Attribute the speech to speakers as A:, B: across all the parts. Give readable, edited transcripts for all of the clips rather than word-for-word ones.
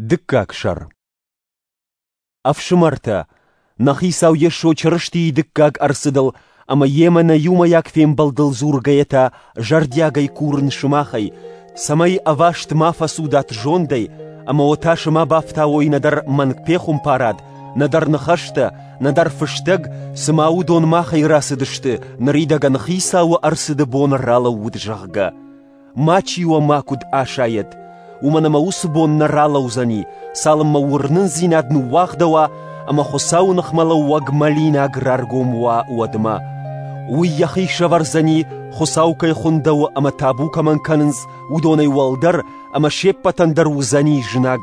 A: Дыккаг сӕр. Ӕфсымӕртӕ, нӕ Хицау Йесо Чырыстийы дыккаг ӕрцыдыл ӕмӕ йемӕ нӕ иумӕйаг фембӕлдыл дзургӕйӕ та зӕрдиагӕй курын сымахӕй, цӕмӕй ӕваст ма фӕцудат зондӕй ӕмӕ уӕ тасы ма бафтауой нӕдӕр мӕнгпехуымпарад, нӕдӕр ныхӕстӕ, нӕдӕр фыстӕг, цыма уыдон махӕй рацыдысты, ныридӕгӕн Хицауы ӕрцыды бон ралӕууыд, зӕгъгӕ. Мачи уӕ макуыд асайӕд, уымӕн ӕмӕ уыцы бон нӕ ралӕудзӕни, цалынмӕ уырнындзинад ныууагъдӕуа ӕмӕ Хуыцауы ныхмӕлӕууӕг мӕлинаг раргом уа, уӕдмӕ. Уый йӕхи сӕвӕрдзӕни, Хуыцау кӕй хуындӕуы ӕмӕ табу кӕмӕн кӕнынц, уыдонӕй уӕлдӕр ӕмӕ се ппӕтӕн дӕр уыдзӕни знаг.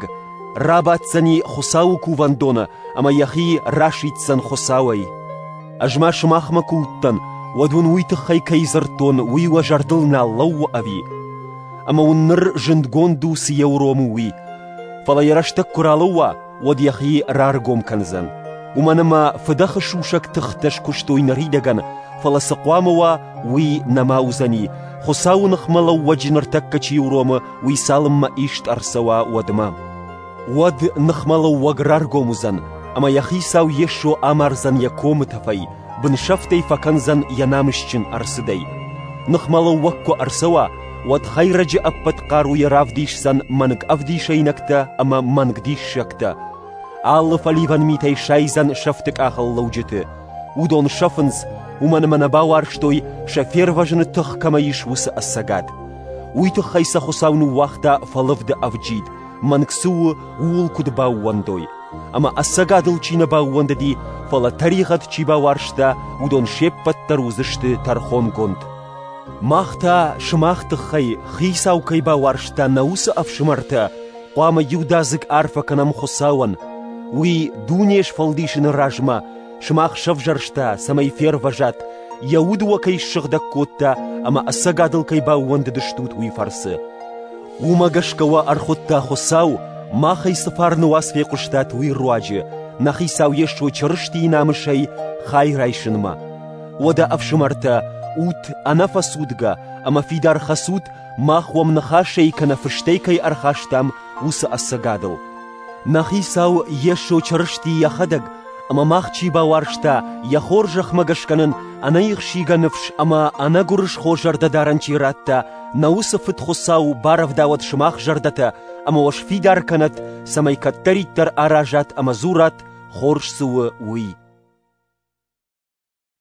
A: Рабаддзӕни Хуыцауы кувӕндоны ӕмӕ йӕхи расиддзӕн Хуыцауӕй. Ӕз ма сымахмӕ куы уыдтӕн, уӕд уын уый тыххӕй кӕй дзырдтон, уый уӕ зӕрдыл нал лӕууы ӕви? Ӕмӕ уын ныр зындгонд у, цы йӕ уромы, уый. Фӕлӕ йӕ рӕстӕг куы ралӕууа, уӕд йӕхи раргом кӕндзӕн. Уымӕн ӕмӕ фыдӕхы сусӕг тыхтӕ скуыстой ныридӕгӕн, фӕлӕ цы хъуамӕ уа, уый нӕма уыдзӕни, Хуыцауы ныхмӕлӕууӕджы ныртӕккӕ чи уромы, уый цалынмӕ ист ӕрцӕуа, уӕдмӕ. Уӕд ныхмӕлӕууӕг раргом уыдзӕн, ӕмӕ йӕ хицау Йесо амардзӕн йӕ комы тӕфӕй, бынсӕфтӕй фӕкӕндзӕн йӕ намысджын ӕрцыдӕй. Ныхмӕлӕууӕг куы ӕрцӕуа, уӕд хӕйрӕджы ӕппӕт хъаруйӕ равдисдзӕн мӕнг ӕвдисӕйнӕгтӕ ӕмӕ мӕнг диссӕгтӕ. Алы фӕливӕн митӕй сайдзӕн сӕфты къахыл лӕуджыты. Уыдон сӕфынц, уымӕн ӕмӕ нӕ бауарзтой, сӕ фервӕзыны тых кӕмӕ ис, уыцы ӕцӕгад. Уый тыххӕй сӕ Хуыцау ныууагъта фӕлывды ӕвджид, мӕнг цы у, ууыл куыд баууӕндой. Ӕмӕ ӕцӕгадыл чи нӕ баууӕндыди, фӕлӕ тӕригъӕд чи бауарзта, уыдон се ппӕт дӕр уыдзысты тӕрхонгонд. Мах та сымах тыххӕй, Хицау кӕй бауарзта, нӕ уыцы ӕфсымӕртӕ, хъуамӕ иудадзыг арфӕ кӕнӕм Хуыцауӕн. Уый дуне сфӕлдисыны размӕ сымах сӕвзӕрста, цӕмӕй фервӕзат, йӕ уд уӕ кӕй ссыгъдӕг кодта ӕмӕ ӕцӕгадыл кӕй баууӕндыдыстут, уый фӕрцы. Уымӕ гӕсгӕ уӕ ӕрхуыдта Хуыцау, махӕй цы фарны уац фехъуыстат, уый руаджы, нӕ Хицау Йесо Чырыстийы намысӕй хай райсынмӕ. Уӕдӕ, ӕфсымӕртӕ, ут ӕнӕфӕцудгӕ ӕмӕ фидар хӕцут, мах уӕм ныхасӕй кӕнӕ фыстӕй кӕй ӕрхастам, уыцы ӕцӕгадыл. Нӕ Хицау Йесо Чырысти йӕхӕдӕг ӕмӕ мах чи бауарзта, йӕ хорзӕхмӕ гӕсгӕ нын ӕнӕихсигӕ ныфс ӕмӕ ӕнӕгуырысхо зӕрдӕдарӕн чи радта, нӕ уыцы Фыд Хуыцау барӕвдауӕд сымах зӕрдӕтӕ ӕмӕ уӕ сфидар кӕнӕд, цӕмӕй кӕддӕриддӕр аразат ӕмӕ дзурат, хорз цы у, уый.